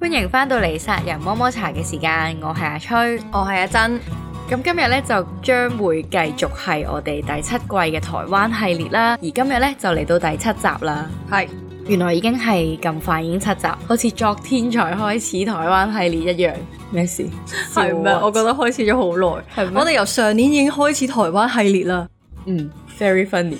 歡迎返到嚟殺人摸摸茶嘅時間，我係阿吹，我係阿珍。咁今日咧就將會繼續係我哋第7季嘅台灣系列啦，而今日咧就嚟到第7集啦。係，原來已經係咁快，已經7集，好似昨天才開始台灣系列一樣。咩事？係咩？我覺得開始咗好耐。係咩？我哋由上年已經開始台灣系列啦。very funny。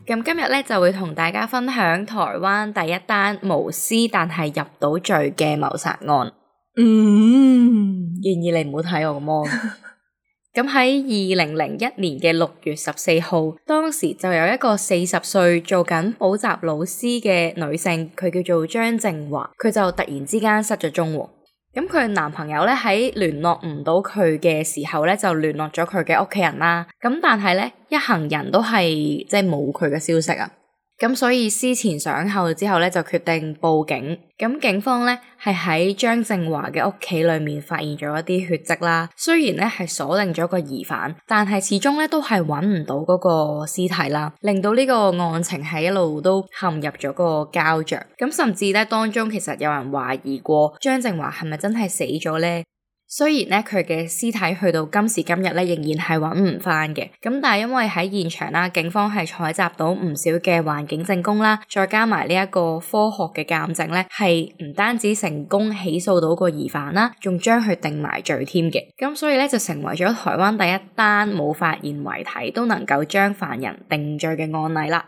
咁今日咧就會同大家分享台灣第一單無屍但係入到罪嘅謀殺案。建議你唔好睇我個魔。咁喺2001年嘅6月14號，當時就有一個40歲做緊補習老師嘅女性，佢叫做張靜華，佢就突然之間失咗蹤喎。咁佢男朋友咧喺聯絡唔到佢嘅時候咧，就聯絡咗佢嘅屋企人啦。咁但係咧，一行人都係即係冇佢嘅消息啊。咁所以思前想後之後咧，就決定報警。咁警方咧係喺張靜華嘅屋企裏面發現咗一啲血跡啦。雖然咧係鎖定咗個疑犯，但係始終咧都係揾唔到嗰個屍體啦，令到呢個案情係一路都陷入咗個膠着。咁甚至咧當中其實有人懷疑過張靜華係咪真係死咗咧？雖然咧佢嘅屍體去到今時今日咧仍然係揾唔翻嘅，咁但係因為喺現場啦，警方係採集到唔少嘅環境證供啦，再加埋呢一個科學嘅鑑證咧，係唔單止成功起訴到個疑犯啦，仲將佢定埋罪添嘅，咁所以咧就成為咗台灣第一單冇發現遺體都能夠將犯人定罪嘅案例啦。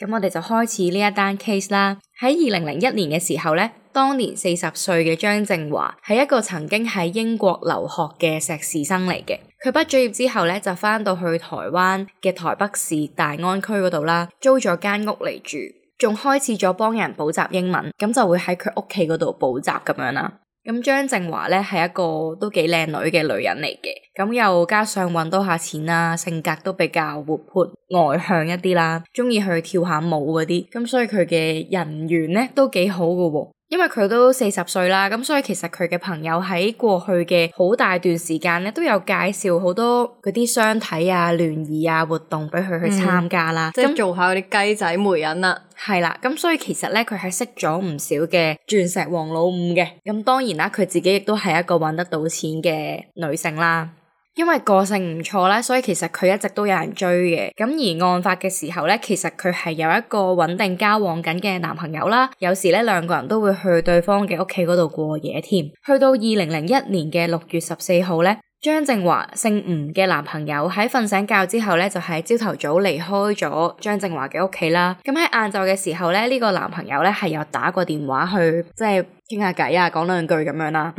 咁我哋就開始呢一單 case 啦。喺2001年嘅時候咧，當年40歲嘅張靜華係一個曾經喺英國留學嘅碩士生嚟嘅。佢畢咗業之後咧，就返到去台灣嘅台北市大安區嗰度啦，租咗間屋嚟住，仲開始咗幫人補習英文，咁就會喺佢屋企嗰度補習咁樣啦。咁張靜華咧係一個都幾靚女嘅女人嚟嘅，咁又加上搵多下錢啦，性格都比較活潑外向一啲啦，中意去跳下舞嗰啲，咁所以佢嘅人緣咧都幾好㗎喎。因為佢都40歲啦，咁所以其實佢嘅朋友喺過去嘅好大段時間咧，都有介紹好多嗰啲相睇啊、聯誼啊活動俾佢去參加啦，即係做下嗰啲雞仔媒人啦。係啦，咁所以其實咧佢係識咗唔少嘅鑽石王老五嘅，咁當然啦，佢自己亦都係一個搵得到錢嘅女性啦。因為個性唔錯啦，所以其實佢一直都有人追嘅。咁而案發嘅時候咧，其實佢係有一個穩定交往緊嘅男朋友啦。有時咧兩個人都會去對方嘅屋企嗰度過夜添。去到2001年嘅6月14號咧，張靜華姓吳嘅男朋友喺瞓醒覺之後咧，就喺朝頭早離開咗張靜華嘅屋企啦。咁喺晏晝嘅時候咧，呢個男朋友咧係有打過電話去即係傾下偈啊，講兩句咁樣啦。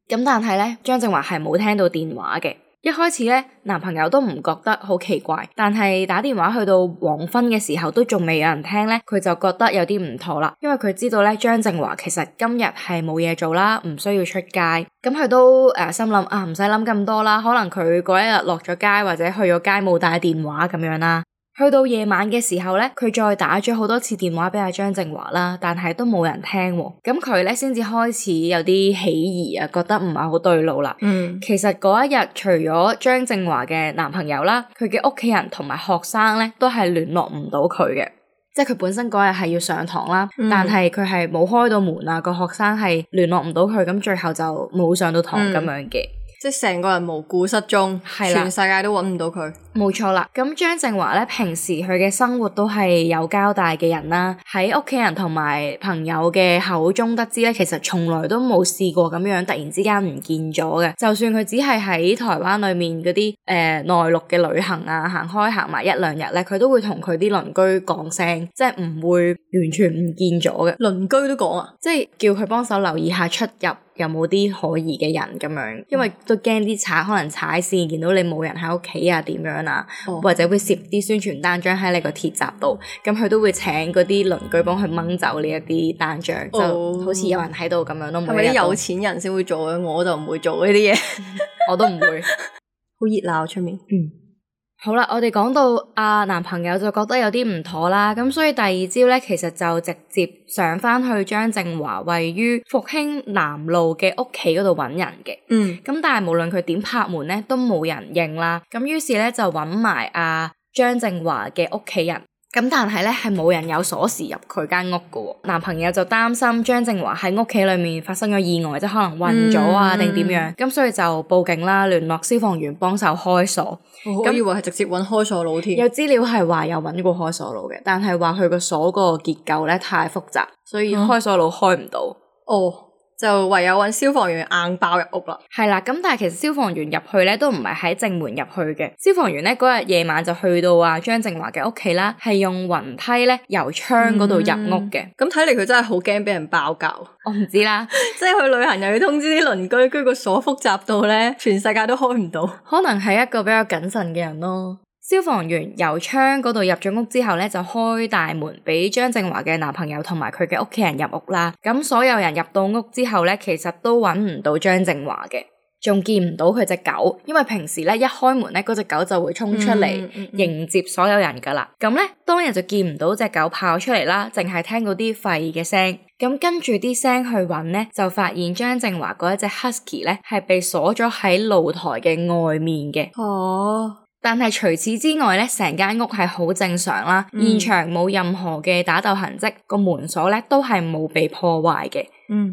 咁但係咧，張靜華係冇聽到電話嘅。一開始咧，男朋友都唔覺得好奇怪，但係打電話去到黃昏嘅時候都仲未有人聽咧，佢就覺得有啲唔妥啦。因為佢知道咧，張靜華其實今日係冇嘢做啦，唔需要出街。咁佢都心諗啊，唔使諗咁多啦，可能佢嗰一日落咗街或者去咗街冇帶電話咁樣啦。去到夜晚嘅時候咧，佢再打咗好多次電話俾阿張靜華啦，但係都冇人聽喎。咁佢咧先至開始有啲起疑啊，覺得唔係好對路啦。其實嗰一日除咗張靜華嘅男朋友啦，佢嘅屋企人同埋學生咧都係聯絡唔到佢嘅，即係佢本身嗰日係要上堂啦，但係佢係冇開到門啊，個學生係聯絡唔到佢，咁最後就冇上到堂咁樣嘅。即係成個人無故失蹤，全世界都揾唔到佢。冇錯啦，咁張靜華咧平時佢嘅生活都係有交代嘅人啦，喺屋企人同埋朋友嘅口中得知咧，其實從來都冇試過咁樣突然之間唔見咗嘅。就算佢只係喺台灣裏面嗰啲內陸嘅旅行啊，行埋1-2日咧，佢都會同佢啲鄰居講聲，即係唔會完全唔見咗嘅。鄰居都講啊，即係叫佢幫手留意下出入有冇啲可疑嘅人咁樣，因為都驚啲賊可能踩線見到你冇人喺屋企啊點樣啊，或者會攝啲宣傳單張喺你個鐵閘度，咁佢都會請嗰啲鄰居幫佢掹走呢一啲單張，就好似有人喺度咁樣咯。係咪啲有錢人先會做嘅？我就唔會做呢啲嘢，我都唔會。好熱鬧出面。好啦，我哋講到男朋友就覺得有啲唔妥啦，咁所以第二朝咧，其實就直接上返去張靜華位於復興南路嘅屋企嗰度揾人嘅。咁但係無論佢點拍門咧，都冇人應啦。咁於是咧就揾埋張靜華嘅屋企人，咁但係咧係冇人有鎖匙入佢間屋噶喎。男朋友就擔心張正華喺屋企裏面發生咗意外，即係可能暈咗啊定點樣，咁所以就報警啦，聯絡消防員幫手開鎖。我以為係直接揾開鎖佬添。有資料係話有揾過開鎖佬嘅，但係話佢個鎖個結構咧太複雜，所以開鎖佬開唔到。就唯有揾消防員硬爆入屋啦。係啦，咁但係其實消防員入去咧都唔係喺正門入去嘅，消防員咧嗰日夜晚就去到張正華嘅屋企啦，係用雲梯咧由窗嗰度入屋嘅。咁睇嚟佢真係好驚俾人爆格。我唔知啦，即係去旅行又要通知啲鄰居，跟住個鎖複雜到咧全世界都開唔到。可能係一個比較謹慎嘅人咯。消防員由窗嗰度入咗屋之後咧，就開大門俾張正華嘅男朋友同埋佢嘅屋企人入屋啦。咁所有人入到屋之後咧，其實都揾唔到張正華嘅，仲見唔到佢隻狗，因為平時咧一開門咧嗰隻狗就會衝出嚟迎接所有人噶啦。咁咧當日就見唔到隻狗跑出嚟啦，淨係聽到啲吠嘅聲。咁跟住啲聲去揾咧，就發現張正華嗰一隻 husky 咧係被鎖咗喺露台嘅外面嘅。但係除此之外咧，成間屋係好正常啦，現場冇任何嘅打鬥痕跡，個門鎖咧都係冇被破壞嘅。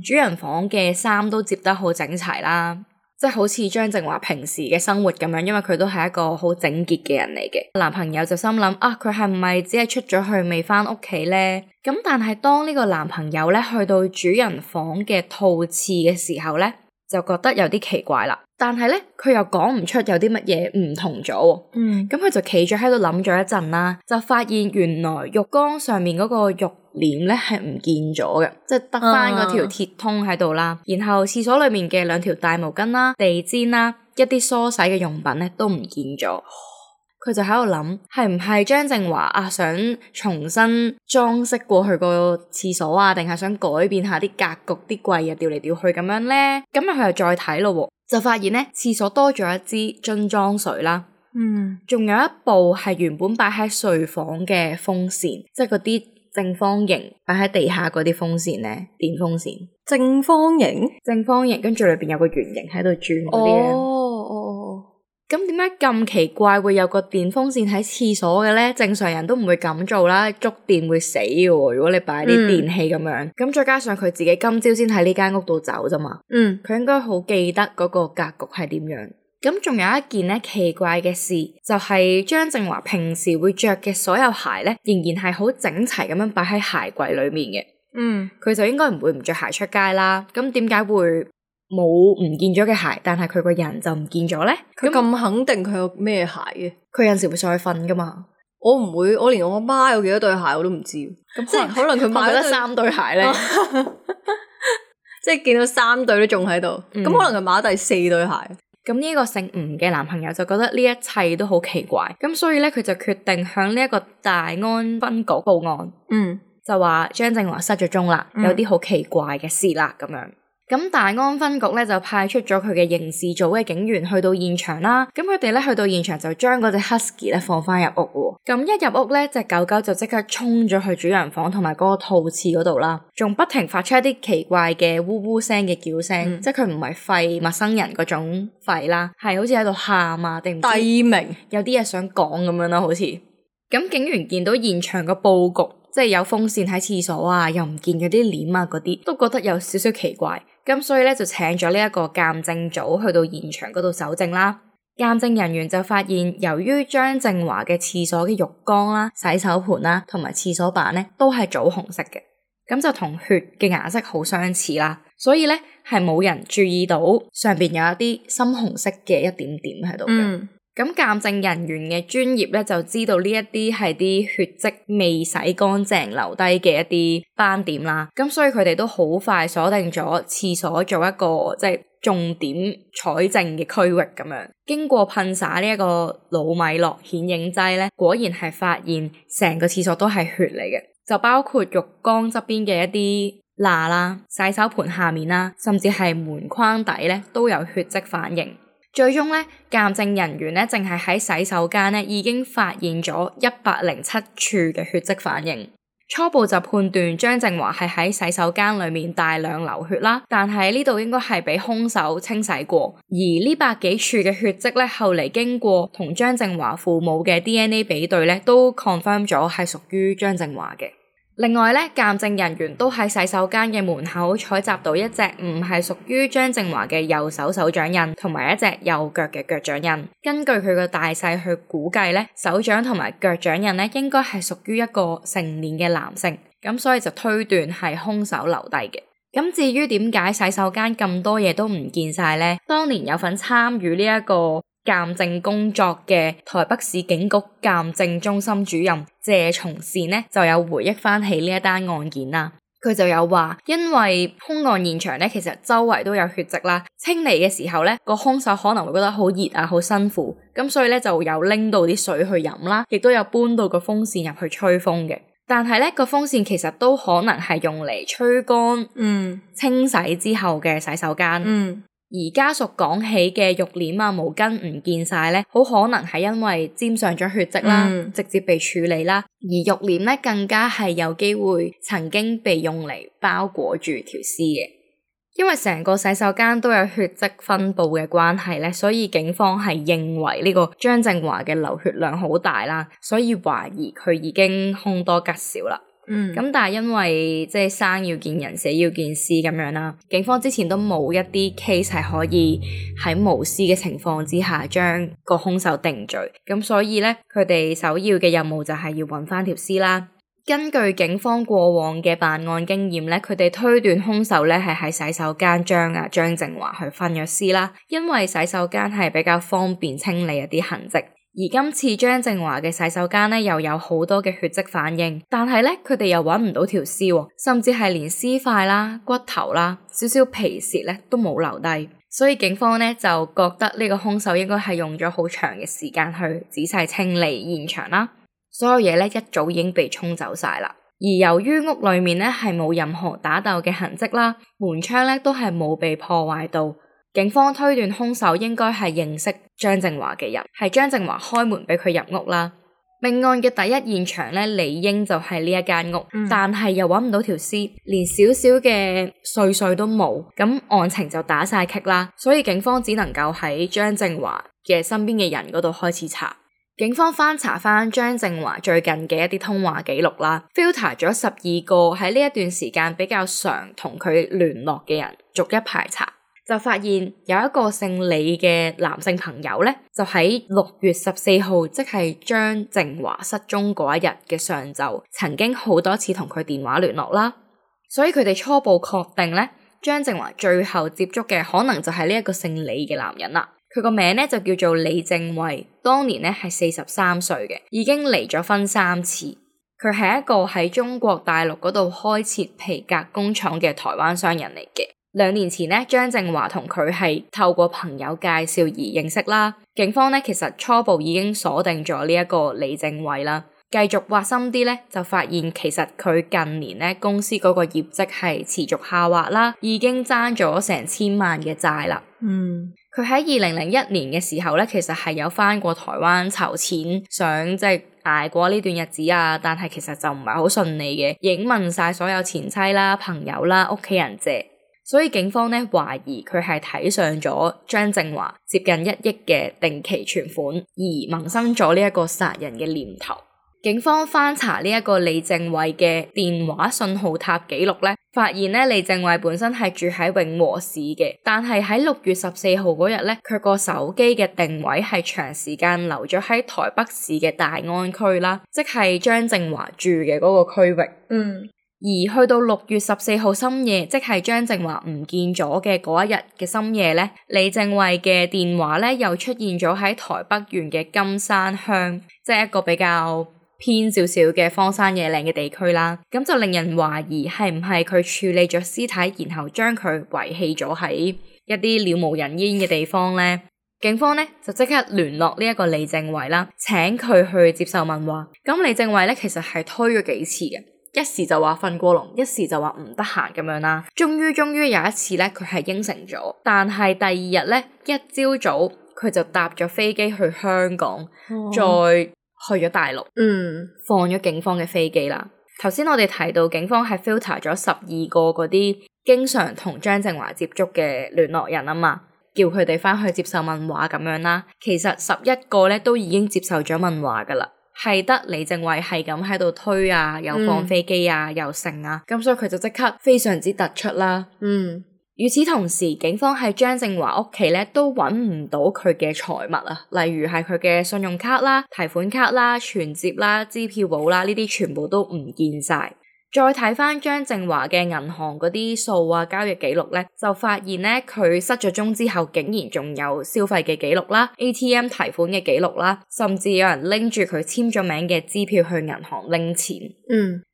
主人房嘅衫都摺得好整齊啦，即係好似張正華平時嘅生活咁樣，因為佢都係一個好整潔嘅人嚟嘅。男朋友就心諗佢係唔係只係出咗去未返屋企咧？咁但係當呢個男朋友咧去到主人房嘅套廁嘅時候咧，就覺得有啲奇怪啦。但係咧，佢又講唔出有啲乜嘢唔同咗。咁佢就企咗喺度諗咗一陣啦，就發現原來浴缸上面嗰個浴簾咧係唔見咗嘅，即係得翻嗰條鐵通喺度啦。然後廁所裏面嘅2條大毛巾啦、地氈啦、一啲梳洗嘅用品咧都唔見咗。佢就喺度諗，係唔係張正華想重新裝飾過去個廁所啊，定係想改變下啲格局、啲櫃調嚟調去咁樣咧？咁佢又再睇咯，就發現咧廁所多咗一支樽裝水啦，仲有一部係原本擺喺睡房嘅風扇，即係嗰啲正方形擺喺地下嗰啲風扇咧，電風扇。正方形，跟住裏邊有個圓形喺度轉嗰啲咧。咁點解咁奇怪會有個電風扇喺廁所嘅咧？正常人都唔會咁做啦，觸電會死嘅喎。如果你擺啲電器咁樣，咁再加上佢自己今朝先喺呢間屋度走啫嘛。佢應該好記得嗰個格局係點樣。咁仲有一件咧奇怪嘅事，就係張正華平時會着嘅所有鞋咧，仍然係好整齊咁樣擺喺鞋櫃裏面嘅。佢就應該唔會唔着鞋出街啦。咁點解會冇唔見咗嘅鞋，但係佢個人就唔見咗咧？佢咁肯定佢有咩鞋嘅？佢有陣時會上去瞓噶嘛？我唔會，我連我阿媽有幾多對鞋我都唔知。咁即係可能佢買咗3對鞋咧，即係見到3對都仲喺度。咁可能佢買咗第4對鞋。咁呢個姓吳嘅男朋友就覺得呢一切都好奇怪，咁所以咧佢就決定向呢一個大安分局報案。就話張正華失咗蹤啦，有啲好奇怪嘅事啦咁樣。咁大安分局咧就派出咗佢嘅刑事組嘅警員去到現場啦。咁佢哋咧去到現場就將嗰隻 husky 咧放翻入屋。咁一入屋咧，隻狗狗就即刻衝咗去主人房同埋嗰個套廁嗰度啦，仲不停發出一啲奇怪嘅嗚嗚聲嘅叫聲，即係佢唔係吠陌生人嗰種吠啦，係好似喺度喊啊定唔知低鳴，有啲嘢想講咁樣啦，好似。咁警員見到現場個佈局，即係有風扇喺廁所啊，又唔見嗰啲簾啊嗰啲，都覺得有少少奇怪。咁所以咧就請咗呢一個鑑證組去到現場嗰度搜證啦。鑑證人員就發現，由於張正華嘅廁所嘅浴缸啦、洗手盆啦同埋廁所板咧都係棗紅色嘅，咁就同血嘅顏色好相似啦。所以咧係冇人注意到上邊有一啲深紅色嘅一點點喺度嘅。咁鑑證人員嘅專業咧就知道呢一啲係啲血跡未洗乾淨留低嘅一啲斑點啦，咁所以佢哋都好快鎖定咗廁所做一個即係重點採證嘅區域咁樣。經過噴灑呢一個魯米諾顯影劑咧，果然係發現成個廁所都係血嚟嘅，就包括浴缸側邊嘅一啲罅啦、洗手盆下面啦，甚至係門框底咧都有血跡反應。最終咧，鑑證人員咧淨係喺洗手間咧已經發現咗107處嘅血跡反應，初步就判斷張靜華係喺洗手間裏面大量流血啦，但係呢度應該係俾兇手清洗過，而呢百幾處嘅血跡咧，後嚟經過同張靜華父母嘅 DNA 比對咧，都 confirm 咗係屬於張靜華嘅。另外咧，鑑證人員都喺洗手間嘅門口採集到一隻唔係屬於張靜華嘅右手手掌印，同埋一隻右腳嘅腳掌印。根據佢個大細去估計咧，手掌同埋腳掌印咧應該係屬於一個成年嘅男性，咁所以就推斷係兇手留低嘅。咁至於點解洗手間咁多嘢都唔見晒呢？當年有份參與呢一個鑑證工作嘅台北市警局鑑證中心主任謝松善呢，就有回憶翻起呢一單案件啦。佢就有話，因為兇案現場呢，其實周圍都有血跡啦，清理嘅時候呢，個兇手可能會覺得好熱啊，好辛苦，咁所以咧就有拎到啲水去飲啦，亦都有搬到個風扇入去吹風嘅。但係咧，個風扇其實都可能係用嚟吹乾、清洗之後嘅洗手間。而家屬講起嘅浴簾啊、毛巾唔見晒咧，好可能係因為沾上咗血跡啦，直接被處理啦。而浴簾咧更加係有機會曾經被用嚟包裹住條屍嘅。因為成個洗手間都有血跡分布嘅關係咧，所以警方係認為呢個張靜華嘅流血量好大啦，所以懷疑佢已經凶多吉少啦。咁但係因為即係生要見人，死要見屍咁樣啦，警方之前都冇一啲 case 係可以喺無屍嘅情況之下將個兇手定罪，咁所以咧佢哋首要嘅任務就係要揾翻條屍啦。根據警方過往嘅辦案經驗咧，佢哋推斷兇手咧係喺洗手間將張靜華去分咗屍啦，因為洗手間係比較方便清理一啲痕跡。而今次張靜華嘅洗手間咧又有好多嘅血跡反應，但係咧佢哋又揾唔到條屍，甚至係連屍塊啦、骨頭啦、少少皮屑咧都冇留低，所以警方咧就覺得呢個兇手應該係用咗好長嘅時間去仔細清理現場啦，所有嘢咧一早已經被沖走晒啦。而由於屋裏面咧係冇任何打鬥嘅痕跡啦，門窗咧都係冇被破壞到。警方推斷兇手應該係認識張靜華嘅人，係張靜華開門俾佢入屋啦。命案嘅第一現場咧，理應就係呢一間屋，但係又揾唔到條屍，連少少嘅碎碎都冇，咁案情就打晒棘啦。所以警方只能夠喺張靜華嘅身邊嘅人嗰度開始查。警方翻查翻張靜華最近嘅一啲通話記錄啦 ，filter 咗12個喺呢一段時間比較常同佢聯絡嘅人，逐一排查。就發現有一個姓李嘅男性朋友咧，就喺6月14號，即係張靜華失蹤嗰一日嘅上晝，曾經好多次同佢電話聯絡啦。所以佢哋初步確定咧，張靜華最後接觸嘅可能就係呢一個姓李嘅男人啦。佢個名咧就叫做李正慧，當年咧係43歲嘅，已經離咗婚3次。佢係一個喺中國大陸嗰度開設皮革工廠嘅台灣商人嚟嘅。2年前咧，張靜華同佢係透過朋友介紹而認識啦。警方咧其實初步已經鎖定咗呢一個李正慧啦。繼續挖深啲咧，就發現其實佢近年咧公司嗰個業績係持續下滑啦，已經爭咗成1000萬嘅債啦。佢喺2001年嘅時候咧，其實係有返過台灣籌錢，想即係捱過呢段日子啊，但係其實就唔係好順利嘅，已經問晒所有前妻啦、朋友啦、屋企人借。所以警方咧懷疑佢係睇上咗張靜華接近1億嘅定期存款，而萌生咗呢一個殺人嘅念頭。警方翻查呢一個李正慧嘅電話信號塔記錄咧，發現咧李正慧本身係住喺永和市嘅，但係喺6月14號嗰日咧，佢個手機嘅定位係長時間留咗喺台北市嘅大安區啦，即係張靜華住嘅嗰個區域。而去到6月14號深夜，即係張靜華唔見咗嘅嗰一日嘅深夜咧，李正慧嘅電話咧又出現咗喺台北縣嘅金山鄉，即係一個比較偏少少嘅荒山野嶺嘅地區啦。咁就令人懷疑係唔係佢處理咗屍體，然後將佢遺棄咗喺一啲了無人煙嘅地方咧。警方咧就即刻聯絡呢一個李正慧啦，請佢去接受問話。咁李正慧咧其實係推咗幾次嘅。一時就話瞓過籠，一時就話唔得閒咁樣啦。終於有一次咧，佢係應承咗，但係第2日咧，一朝早佢就搭咗飛機去香港，再去咗大陸，放咗警方嘅飛機啦。頭先我哋提到警方係 filter 咗12個嗰啲經常同張正華接觸嘅聯絡人啊嘛，叫佢哋翻去接受問話咁樣啦。其實11個咧都已經接受咗問話噶啦，係得李正偉係咁喺度推啊，又放飛機啊，又剩啊，咁所以佢就即刻非常之突出啦。與此同時，警方喺張正華屋企咧都揾唔到佢嘅財物啊，例如係佢嘅信用卡啦、提款卡啦、存摺啦、支票簿啦，呢啲全部都唔見晒。再睇翻張正華嘅銀行嗰啲數啊、交易記錄咧，就發現咧佢失咗蹤之後，竟然仲有消費嘅記錄啦、ATM 提款嘅記錄啦，甚至有人拎住佢簽咗名嘅支票去銀行拎錢。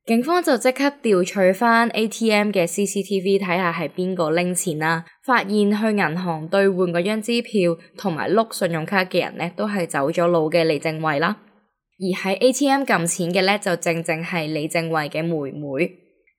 警方就即刻調取翻 ATM 嘅 CCTV 睇下係邊個拎錢啦，發現去銀行兌換嗰張支票同埋碌信用卡嘅人咧，都係走咗路嘅李正偉啦。而喺 ATM 撳錢嘅咧，就正正係李正偉嘅妹妹。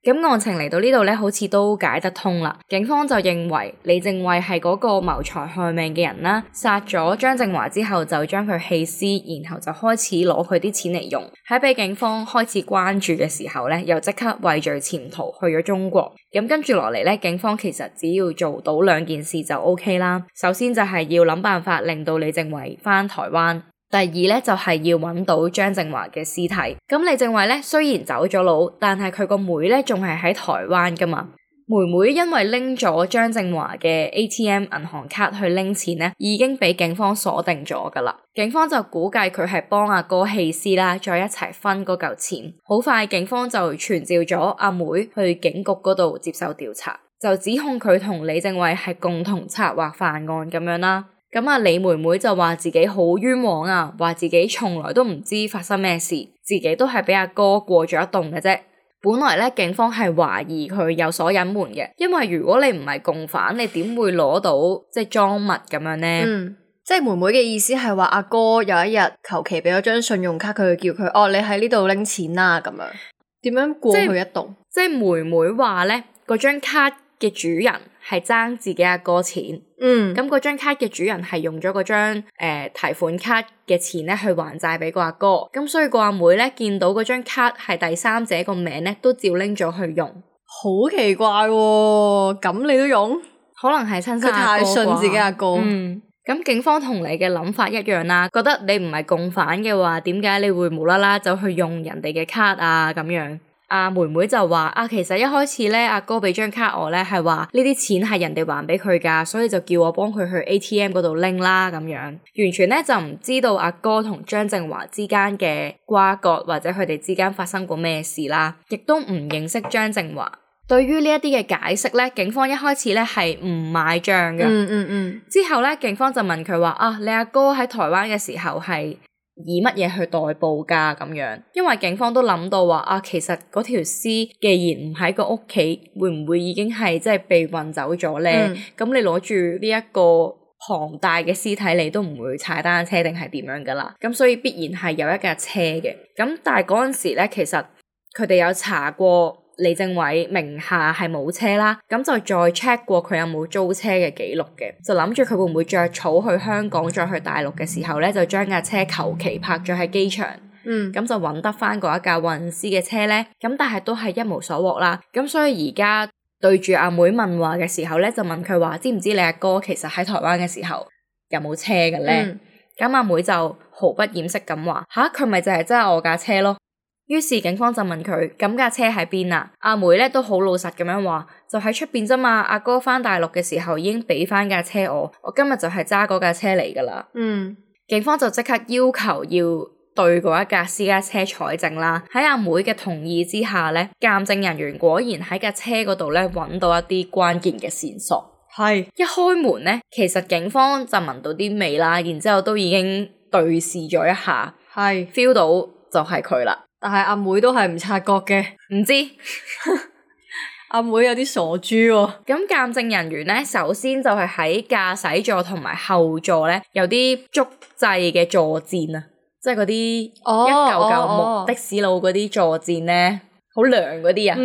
咁案情嚟到呢度咧，好似都解得通啦。警方就認為李正偉係嗰個謀財害命嘅人啦，殺咗張正華之後就將佢棄屍，然後就開始攞佢啲錢嚟用。喺被警方開始關注嘅時候咧，又即刻畏罪潛逃去咗中國。咁跟住落嚟咧，警方其實只要做到2件事就 OK 啦。首先就係要諗辦法令到李正偉返台灣。第二咧就係要揾到張正華嘅屍體。咁李正偉咧雖然走咗佬，但係佢個妹咧仲係喺台灣噶嘛。妹妹因為拎咗張正華嘅 ATM 銀行卡去拎錢咧，已經俾警方鎖定咗噶啦。警方就估計佢係幫阿哥棄屍啦，再一齊分嗰嚿錢。好快警方就傳召咗阿妹去警局嗰度接受調查，就指控佢同李正偉係共同策劃犯案咁樣啦。咁啊，李妹妹就話自己好冤枉啊，話自己從來都唔知發生咩事，自己都係俾阿哥過咗一棟嘅啫。本來咧，警方係懷疑佢有所隱瞞嘅，因為如果你唔係共犯，你點會攞到即係贓物咁樣咧？即係妹妹嘅意思係話阿哥有一日求其俾咗張信用卡佢，叫佢你喺呢度拎錢啦咁樣，點樣過去一棟？即係妹妹話咧，嗰張卡嘅主人係爭自己阿哥錢，咁嗰張卡嘅主人係用咗嗰張提款卡嘅錢咧去還債俾個阿哥，咁所以個阿妹咧見到嗰張卡係第三者個名咧，都照拎咗去用。好奇怪喎，咁你都用？可能係親生阿哥啩，佢太信自己阿哥。咁警方同你嘅諗法一樣啦，覺得你唔係共犯嘅話，點解你會無啦啦走去用人哋嘅卡啊咁樣？妹妹就話其實一開始咧，阿哥俾張卡我咧，係話呢啲錢係人哋還俾佢噶，所以就叫我幫佢去 ATM 嗰度拎啦咁樣，完全咧就唔知道阿哥同張正華之間嘅瓜葛，或者佢哋之間發生過咩事啦，亦都唔認識張正華。對於呢一啲嘅解釋咧，警方一開始咧係唔買賬嘅。之後咧，警方就問佢話你阿哥喺台灣嘅時候係以乜嘢去代步噶咁樣？因為警方都諗到話其實嗰條屍既然唔喺個屋企，會唔會已經係即係被運走咗咧？咁你攞住呢一個龐大嘅屍體，你都唔會踩單車定係點樣噶啦？咁所以必然係有一架車嘅。咁但係嗰陣時咧，其實佢哋有查過李正偉名下係冇車啦，咁就再 check 過佢有冇租車嘅記錄嘅，就諗住佢會唔會着草去香港再去大陸嘅時候咧，就將架車求其泊咗喺機場，咁就揾得翻嗰一架運屍嘅車咧，咁但係都係一無所獲啦。咁所以而家對住阿妹問話嘅時候咧，就問佢話知唔知你阿哥其實喺台灣嘅時候有冇車嘅咧？咁阿妹就毫不掩飾咁話佢咪就係真係我架車咯。於是警方就問佢咁架車喺邊啊？阿妹咧都好老實咁樣話，就喺出邊啫嘛。阿哥翻大陸嘅時候已經俾翻架車我今日就係揸嗰架車嚟噶啦。警方就即刻要求要對嗰一架私家車採證啦。喺阿妹嘅同意之下咧，鑑證人員果然喺架車嗰度咧揾到一啲關鍵嘅線索。係一開門咧，其實警方就聞到啲味啦，然之後都已經對視咗一下，係 feel 到就係佢啦。但係阿妹都係唔察覺嘅，唔知阿妹有啲傻豬喎。咁鑑證人員咧，首先就係喺駕駛座同埋後座咧，有啲竹製嘅坐墊啊，即係嗰啲一嚿嚿木的士佬嗰啲坐墊咧，好涼嗰啲啊。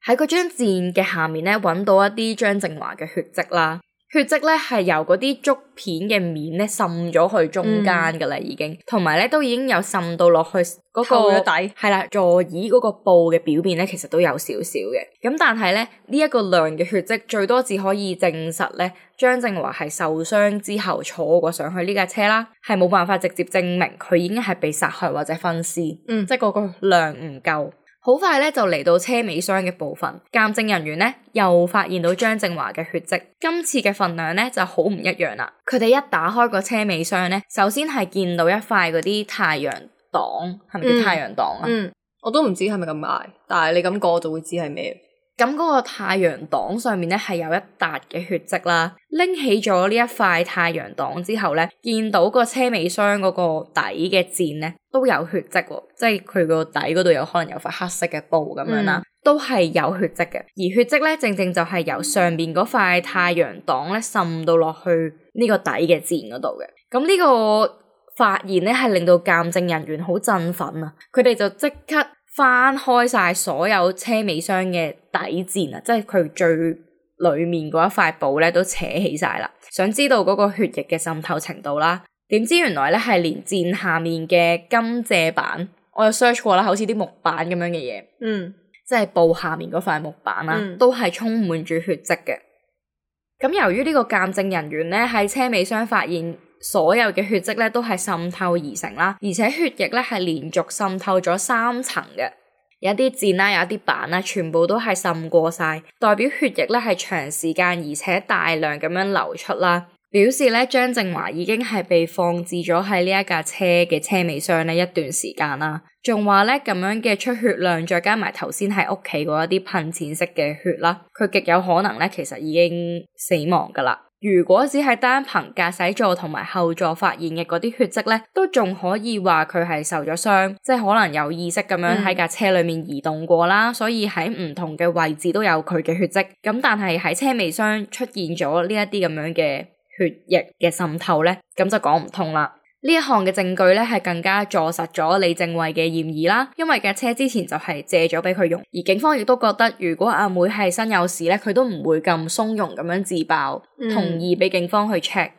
喺嗰張墊嘅下面咧，揾到一啲張正華嘅血跡啦。血跡咧係由嗰啲竹片嘅面咧滲咗去中間噶啦，已經，同埋咧都已經有滲到落去嗰個底，係啦，座椅嗰個布嘅表面咧，其實都有少少嘅。咁但係咧呢一個量嘅血跡最多只可以證實咧張正華係受傷之後坐過上去呢架車啦，係冇辦法直接證明佢已經係被殺害或者分屍，即係嗰個量唔夠。好快咧就嚟到車尾箱嘅部分，鑑證人員咧又發現到張正華嘅血跡，今次嘅份量咧就好唔一樣啦。佢哋一打開個車尾箱咧，首先係見到一塊嗰啲太陽擋，係咪叫太陽擋啊？我都唔知係咪咁嗌，但係你咁講我就會知係咩。咁嗰個太陽擋上面咧係有一笪嘅血跡啦，拎起咗呢一塊太陽擋之後咧，見到個車尾箱嗰個底嘅墊咧都有血跡喎，即係佢個底嗰度有可能有塊黑色嘅布咁樣啦，都係有血跡嘅。而血跡咧正正就係由上邊嗰塊太陽擋咧滲到落去呢個底嘅墊嗰度嘅。咁呢個發現咧係令到鑑證人員好振奮啊！佢哋就即刻翻開晒所有車尾箱嘅底墊啊，即係佢最裏面嗰一塊布咧都扯起晒啦，想知道嗰個血液嘅滲透程度啦。點知原來咧係連墊下面嘅金借板，我有 search 過啦，好似啲木板咁樣嘅嘢，即係布下面嗰塊木板啦，都係充滿住血跡嘅。咁由於呢個鑑證人員咧喺車尾箱發現所有嘅血跡咧都係滲透而成啦，而且血液咧係連續滲透咗3層嘅，有一啲墊啦，有一啲板啦，全部都係滲過晒，代表血液咧係長時間而且大量咁樣流出啦，表示咧張正華已經係被放置咗喺呢一架車嘅車尾箱咧一段時間啦，仲話咧咁樣嘅出血量再加埋頭先喺屋企嗰一啲噴濺式嘅血啦，佢極有可能咧其實已經死亡噶啦。如果只係單憑駕駛座同埋後座發現嘅嗰啲血跡咧，都仲可以話佢係受咗傷，即係可能有意識咁樣喺架車裏面移動過啦，所以喺唔同嘅位置都有佢嘅血跡。咁但係喺車尾箱出現咗呢一啲咁樣嘅血液嘅滲透咧，咁就講唔通啦。呢一項嘅證據咧係更加坐實咗李正慧嘅嫌疑啦，因為架車之前就係借咗俾佢用，而警方亦都覺得如果阿妹係身有事咧，佢都唔會咁鬆容咁樣自爆，同意俾警方去 check。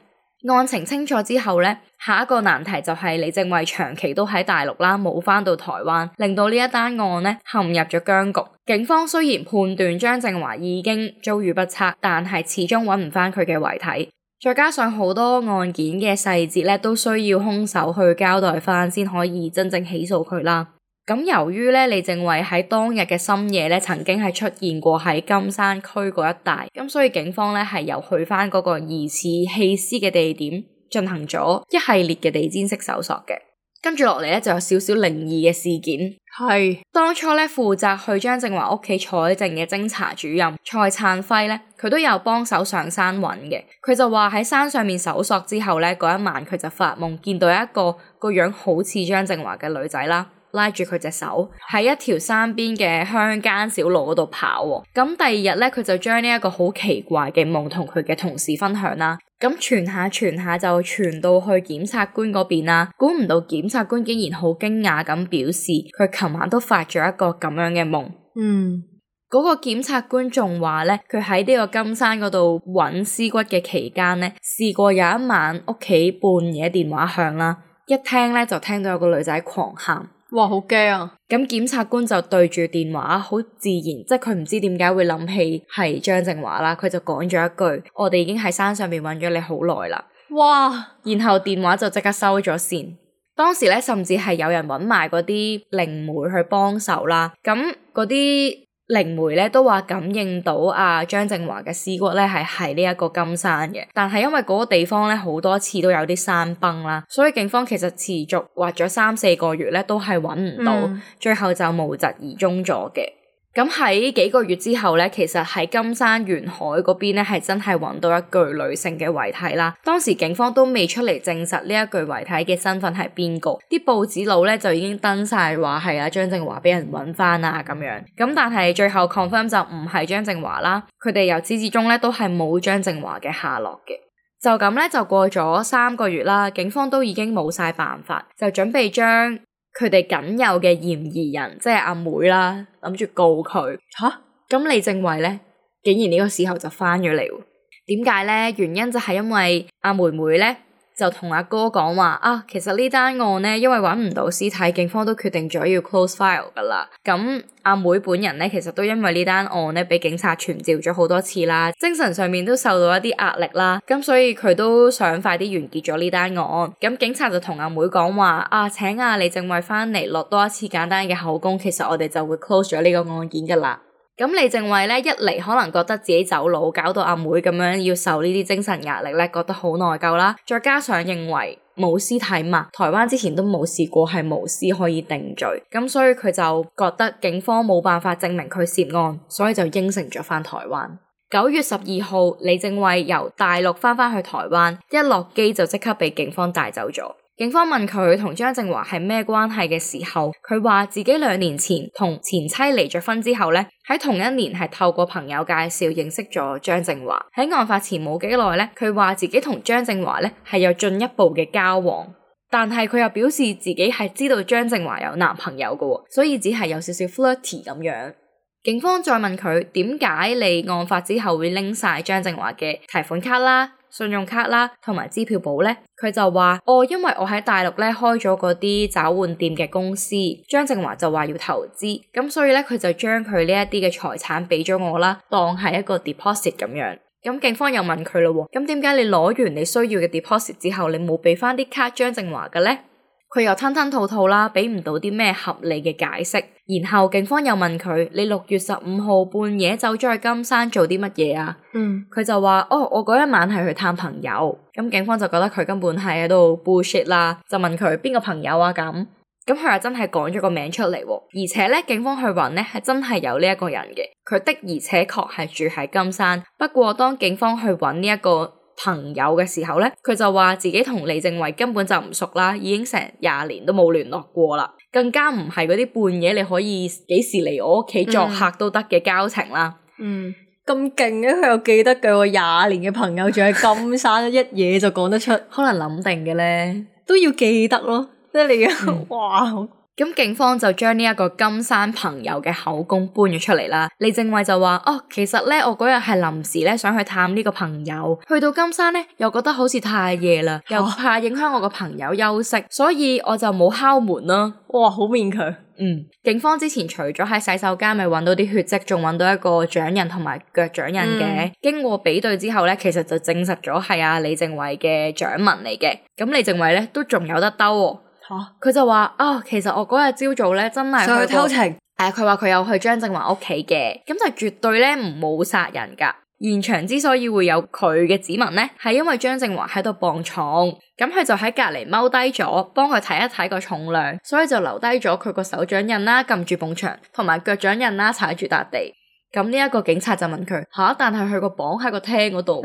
案情清楚之後咧，下一個難題就係李正慧長期都喺大陸啦，冇翻到台灣，令到呢一單案咧陷入咗僵局。警方雖然判斷張正華已經遭遇不測，但係始終揾唔翻佢嘅遺體。再加上好多案件嘅細節咧，都需要兇手去交代翻先可以真正起訴佢啦。咁由於咧李正慧喺當日嘅深夜咧，曾經係出現過喺金山區嗰一帶，咁所以警方咧係又去翻嗰個疑似棄屍嘅地點，進行咗一系列嘅地毯式搜索嘅。跟住落嚟咧就有少少靈異嘅事件。係當初咧負責去張正華屋企採證嘅偵查主任蔡燦輝咧，佢都有幫手上山揾嘅。佢就話喺山上面搜索之後咧，嗰一晚佢就發夢見到一個樣好似張正華嘅女仔啦，拉住佢隻手喺一條山邊嘅鄉間小路嗰度跑喎。咁第二日咧，佢就將呢一個好奇怪嘅夢同佢嘅同事分享啦。咁傳下就傳到去檢察官嗰邊啦。估唔到檢察官竟然好驚訝咁表示，佢琴晚都發咗一個咁樣嘅夢。嗰個檢察官仲話咧，佢喺呢個金山嗰度揾屍骨嘅期間咧，試過有一晚屋企半夜電話響啦，一聽咧就聽到有個女仔狂喊。哇，好驚啊！咁檢察官就對住電話，好自然，即係佢唔知點解會諗起係張正華啦，佢就講咗一句：我哋已經喺山上面揾咗你好耐啦。哇！然後電話就即刻收咗線。當時咧，甚至係有人揾埋嗰啲靈媒去幫手啦。咁嗰啲靈媒咧都話感應到張正華嘅屍骨咧係喺呢一個金山嘅，但係因為嗰個地方咧好多次都有啲山崩啦，所以警方其實持續挖咗3-4個月咧都係揾唔到，最後就無疾而終咗嘅。咁喺幾個月之後咧，其實喺金山沿海嗰邊咧係真係揾到一具女性嘅遺體啦。當時警方都未出嚟證實呢一具遺體嘅身份係邊個，啲報紙佬咧就已經登晒話係張正華俾人揾翻啊咁樣。咁但係最後 confirm 就唔係張正華啦，佢哋由始至終咧都係冇張正華嘅下落嘅。就咁咧就過咗3個月啦，警方都已經冇晒辦法，就準備將佢哋僅有嘅嫌疑人，即係阿妹啦，諗住告佢。咁李正慧咧，竟然呢個時候就翻咗嚟。點解咧？原因就係因為阿妹妹咧就同阿哥講話啊，其實呢單案咧因為揾唔到屍體，警方都決定咗要 close file 噶啦。咁阿妹本人咧其實都因為呢單案咧俾警察傳召咗好多次啦，精神上面都受到一啲壓力啦，咁所以佢都想快啲完結咗呢單案。咁警察就同阿妹講話啊，請阿李正偉翻嚟落多一次簡單嘅口供，其實我哋就會 close 咗呢個案件噶啦。咁李正偉咧一嚟可能覺得自己走佬，搞到阿妹咁樣要受呢啲精神壓力咧，覺得好內疚啦。再加上認為冇屍體嘛，台灣之前都冇試過係無屍可以定罪，咁所以佢就覺得警方冇辦法證明佢涉案，所以就應承咗翻台灣。9月12號，李正偉由大陸翻去台灣，一落機就即刻被警方帶走咗。警方問佢同張正華係咩關係嘅時候，佢話自己2年前同前妻離咗婚之後咧，喺同一年係透過朋友介紹認識咗張正華。喺案發前冇幾耐咧，佢話自己同張正華咧係有進一步嘅交往，但係佢又表示自己係知道張正華有男朋友嘅，所以只係有少少 flirty 咁樣。警方再問佢點解你案發之後會拎晒張正華嘅提款卡啦、信用卡啦同埋支票簿咧，佢就話因為我喺大陸咧開咗嗰啲找換店嘅公司，張正華就話要投資，咁所以咧佢就將佢呢一啲嘅財產俾咗我啦，當係一個 deposit 咁樣。咁警方又問佢咯，咁點解你攞完你需要嘅 deposit 之後，你冇俾翻啲卡張正華嘅咧？佢又吞吞吐吐啦，俾唔到啲咩合理嘅解釋。然後警方又問佢：你6月15號半夜走咗去金山做啲乜嘢啊？佢就話：我嗰一晚係去探朋友。咁警方就覺得佢根本係喺度 bullshit 啦，就問佢邊個朋友啊咁。咁佢又真係講咗個名出嚟，而且咧警方去揾咧係真係有呢一個人嘅，佢的而且確係住喺金山。不過當警方去揾呢一個朋友嘅時候咧，佢就話自己同李正偉根本就唔熟啦，已經成20年都冇聯絡過啦，更加唔係嗰啲半夜你可以幾時嚟我屋企作客都得嘅交情啦。咁勁嘅，佢又記得嘅，我20年嘅朋友住喺金山，一嘢就講得出，可能諗定嘅咧，都要記得咯，即係你嘅哇！咁警方就將呢一個金山朋友嘅口供搬咗出嚟啦。李正偉就話：其實咧我嗰日係臨時咧想去探呢個朋友，去到金山咧又覺得好似太夜啦，又怕影響我個朋友休息，所以我就冇敲門啦。哇，好勉強。警方之前除咗喺洗手間咪揾到啲血跡，仲揾到一個掌印同埋腳掌印嘅。經過比對之後咧，其實就證實咗係阿李正偉嘅掌紋嚟嘅。咁李正偉咧都仲有得兜喎。佢就話其實我嗰日朝早咧真係去偷情。佢話佢有去張正華屋企嘅，咁就絕對咧唔冇殺人噶。現場之所以會有佢嘅指紋咧，係因為張正華喺度磅重，咁佢就喺隔籬踎低咗，幫佢睇一睇個重量，所以就留低咗佢個手掌印啦，撳住埲牆，同埋腳掌印啦，踩住笪地。咁呢一個警察就問佢但係佢個磅喺個廳嗰度。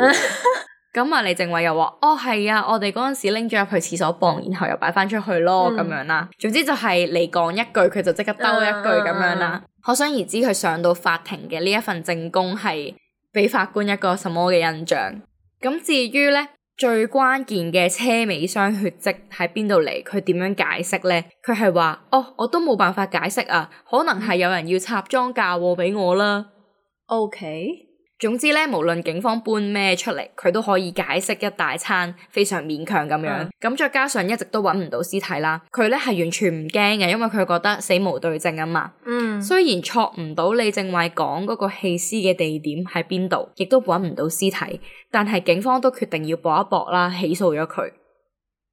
咁啊，李正偉又話：係啊，我哋嗰陣時拎咗入去廁所磅，然後又擺翻出去咯，咁樣啦。總之就係你講一句，佢就即刻兜一句咁樣啦。可想而知，佢上到法庭嘅呢一份證供係俾法官一個什麼嘅印象。咁至於咧最關鍵嘅車尾箱血跡喺邊度嚟，佢點樣解釋咧？佢係話：我都冇辦法解釋啊，可能係有人要插贓嫁禍俾我啦。OK。總之咧，無論警方搬咩出嚟，佢都可以解釋一大餐，非常勉強咁樣。咁再加上一直都揾唔到屍體啦，佢咧係完全唔驚嘅，因為佢覺得死無對證啊嘛。雖然錯唔到李正偉講嗰個棄屍嘅地點喺邊度，亦都揾唔到屍體，但係警方都決定要搏一搏啦，起訴咗佢。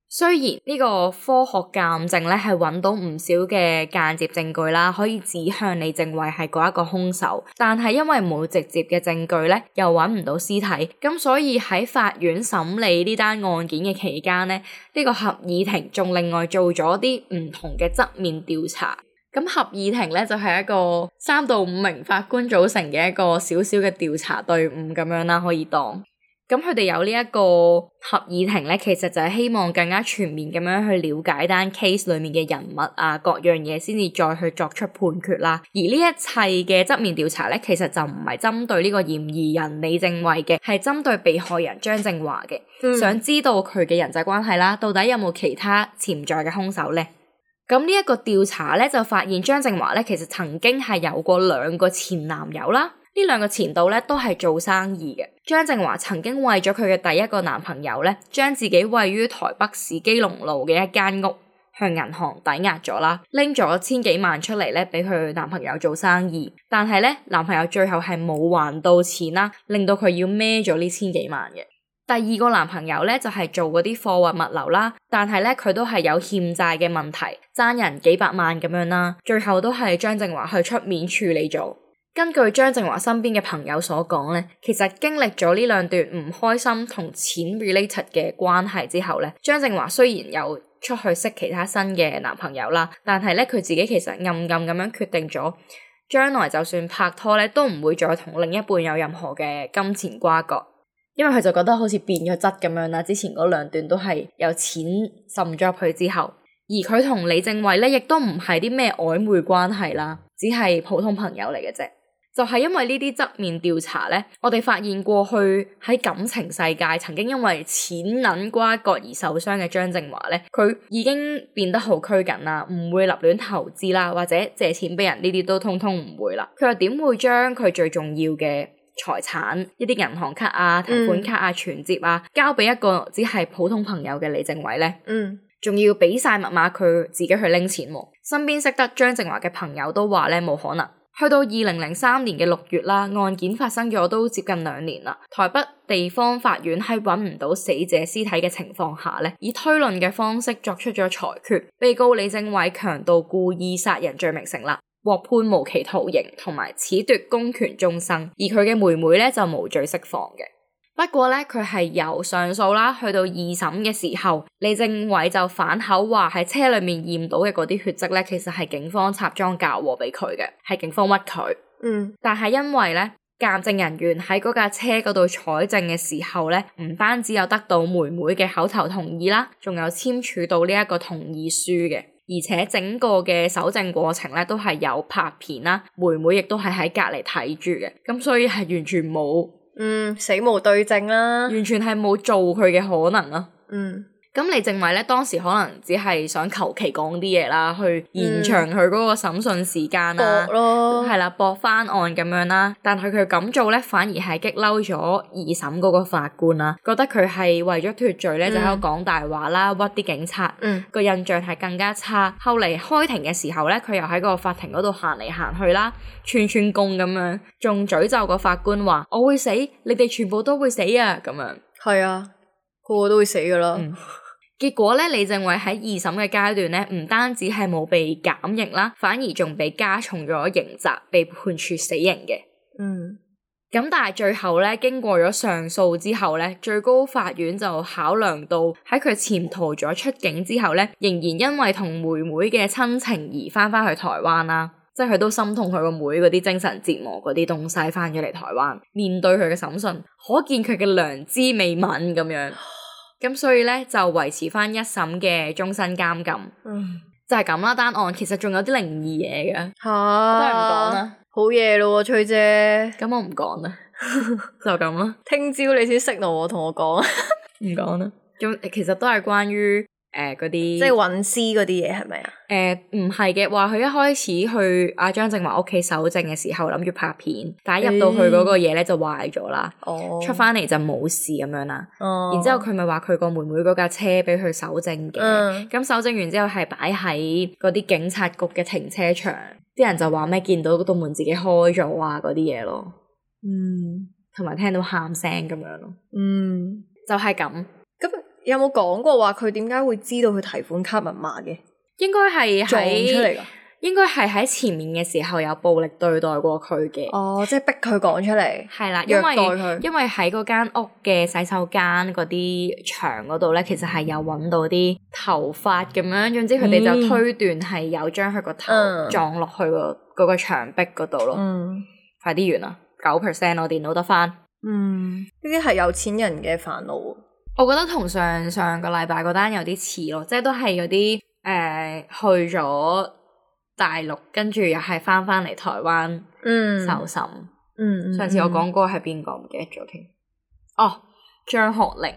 雖然呢個科學鑑證咧係揾到唔少嘅間接證據啦，可以指向李正偉係嗰一個兇手，但係因為冇直接嘅證據咧，又揾唔到屍體，咁所以喺法院審理呢單案件嘅期間咧，呢個合議庭仲另外做咗啲唔同嘅側面調查。咁合議庭咧就係一個3到5名法官組成嘅一個小小嘅調查隊伍咁樣啦，可以當。咁佢哋有呢一個合議庭咧，其實就係希望更加全面咁樣去了解單 case 裏面嘅人物啊，各樣嘢先至再去作出判決啦。而呢一切嘅側面調查咧，其實就唔係針對呢個嫌疑人李正偉嘅，係針對被害人張正華嘅，想知道佢嘅人際關係啦，到底有冇其他潛在嘅兇手咧？咁呢一個調查咧就發現張正華咧其實曾經係有過2個前男友啦。呢兩個前度咧都係做生意嘅。張正華曾經為咗佢嘅第一個男朋友咧，將自己位於台北市基隆路嘅一間屋向銀行抵押咗啦，拎咗千幾萬出嚟咧俾佢男朋友做生意。但係咧男朋友最後係冇還到錢啦，令到佢要孭咗呢千幾萬嘅。第二個男朋友咧就係做嗰啲貨運物流啦，但係咧佢都係有欠債嘅問題，爭人幾百萬咁樣啦，最後都係張正華去出面處理咗。根據張正華身邊嘅朋友所講咧，其實經歷咗呢兩段唔開心同錢 related 嘅關係之後咧，張正華雖然有出去識其他新嘅男朋友啦，但係咧佢自己其實暗暗咁樣決定咗，將來就算拍拖咧，都唔會再同另一半有任何嘅金錢瓜葛，因為佢就覺得好似變咗質咁樣啦。之前嗰兩段都係有錢滲咗入去之後，而佢同李正偉咧亦都唔係啲咩曖昧關係啦，只係普通朋友嚟嘅啫。就係因為呢啲側面調查咧，我哋發現過去喺感情世界曾經因為錢銀瓜葛而受傷嘅張正華咧，佢已經變得好拘謹啦，唔會立亂投資啦，或者借錢俾人呢啲都通通唔會啦。佢又點會將佢最重要嘅財產，一啲銀行卡啊、提款卡啊、存摺啊，交俾一個只係普通朋友嘅李正偉咧？仲要俾晒密碼佢自己去拎錢喎。身邊識得張正華嘅朋友都話咧冇可能。去到2003年嘅6月啦，案件發生咗都接近2年啦。台北地方法院喺揾唔到死者屍體嘅情況下咧，以推論嘅方式作出咗裁決，被告李正偉強盜故意殺人罪名成立，獲判無期徒刑同埋褫奪公權終生，而佢嘅妹妹咧就無罪釋放嘅。不過咧，佢係由上訴啦，去到二審嘅時候，李正偉就反口話喺車裏面驗到嘅嗰啲血跡咧，其實係警方插贓嫁禍俾佢嘅，係警方屈佢。但係因為咧，鑑證人員喺嗰架車嗰度採證嘅時候咧，唔單止有得到妹妹嘅口頭同意啦，仲有簽署到呢一個同意書嘅，而且整個嘅搜證過程咧都係有拍片啦，妹妹亦都係喺隔籬睇住嘅，咁所以係完全冇。死無對證啦，完全係冇做佢嘅可能啊。咁李正偉咧當時可能只係想求其講啲嘢啦，去延長佢嗰個審訊時間啦，係啦，駁翻案咁樣啦。但係佢咁做咧，反而係激嬲咗二審嗰個法官啦，覺得佢係為咗脫罪咧就喺度講大話啦，屈啲警察，個印象係更加差。後嚟開庭嘅時候咧，佢又喺個法庭嗰度行嚟行去啦，串串供咁樣，仲詛咒個法官話：我會死，你哋全部都會死啊！咁樣。係啊，個個都會死噶啦。結果咧，李正偉喺二審嘅階段咧，唔單止係冇被減刑啦，反而仲被加重咗刑責，被判處死刑嘅。咁但係最後咧，經過咗上訴之後咧，最高法院就考量到喺佢潛逃咗出境之後咧，仍然因為同妹妹嘅親情而翻去台灣啦，即係佢都心痛佢個妹嗰啲精神折磨嗰啲東西翻咗嚟台灣，面對佢嘅審訊，可見佢嘅良知未泯咁樣。咁所以咧就維持翻一審嘅終身監禁，就係咁啦。單案其實仲有啲靈異嘢嘅，我都係唔講啦。好嘢咯，崔姐。咁我唔講啦，就咁啦。聽朝你先識我同我講，唔講啦。咁其實都係關於嗰啲，即係揾屍嗰啲嘢係咪啊？唔係嘅，話佢一開始去阿張正華屋企搜證嘅時候諗住拍片，但係入到去嗰個嘢咧就壞咗啦，出翻嚟就冇事咁樣啦。然之後佢咪話佢個妹妹嗰架車俾佢搜證嘅，咁搜證完之後係擺喺嗰啲警察局嘅停車場，啲人就話咩見到嗰道門自己開咗啊嗰啲嘢咯，同埋聽到喊聲咁樣咯，就係咁。咁有冇講過話佢點解會知道佢提款卡密碼嘅？應該係撞出嚟㗎。應該係喺前面嘅時候有暴力對待過佢嘅。即係逼佢講出嚟。係啦，虐待佢。因為喺嗰間屋嘅洗手間嗰啲牆嗰度咧，其實係有揾到啲頭髮咁樣，總之佢哋就推斷係有將佢個頭撞落去嗰個牆壁嗰度咯。快啲完啦，9%我電腦得返。呢啲係有錢人嘅煩惱。我覺得同上個禮拜嗰單有啲似咯，即係都係嗰啲去咗大陸，跟住又係翻嚟台灣受審。上次我講過係邊個唔記得咗添。張學齡，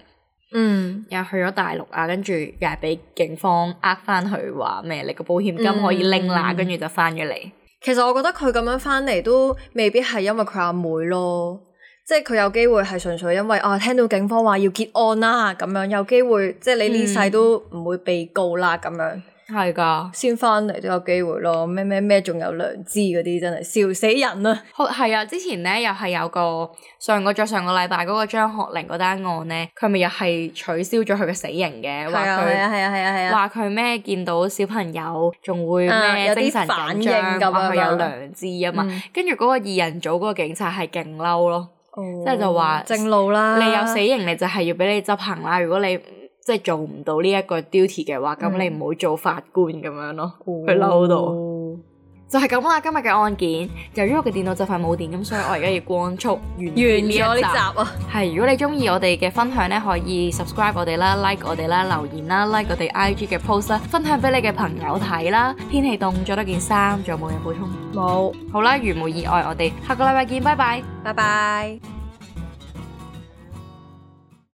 又去咗大陸啊，跟住又係俾警方呃翻去話咩？你個保險金可以拎啦，跟住就翻咗嚟。其實我覺得佢咁樣翻嚟都未必係因為佢阿妹咯，即係佢有機會係純粹因為聽到警方話要結案啦，咁樣有機會即係你呢世都唔會被告啦咁樣。係㗎，先翻嚟都有機會咯，咩仲有良知嗰啲真係笑死人啊！係啊，之前咧又係有個上個禮拜嗰個張學玲嗰單案咧，佢咪又係取消咗佢嘅死刑嘅，話佢話佢咩見到小朋友仲會咩精神緊張，話佢有良知啊嘛，跟住嗰個二人組嗰個警察係勁嬲咯，即係就話正路啦，你有死刑你就係要俾你執行啦，如果你即係做唔到呢一個 duty 嘅話，咁你唔好做法官咁樣咯。佢嬲到就係咁啦。今日嘅案件，由於我嘅電腦就快冇電，咁所以我而家要光速完咗呢集啊。係，如果你中意我哋嘅分享咧，可以 subscribe 我哋啦 ，like 我哋啦，留言啦 ，like 我哋 IG 嘅 post 啦，分享俾你嘅朋友睇啦。天氣凍，着多件衫，仲有冇嘢補充？冇。好啦，如無意外，我哋下個禮拜見，拜拜，拜拜。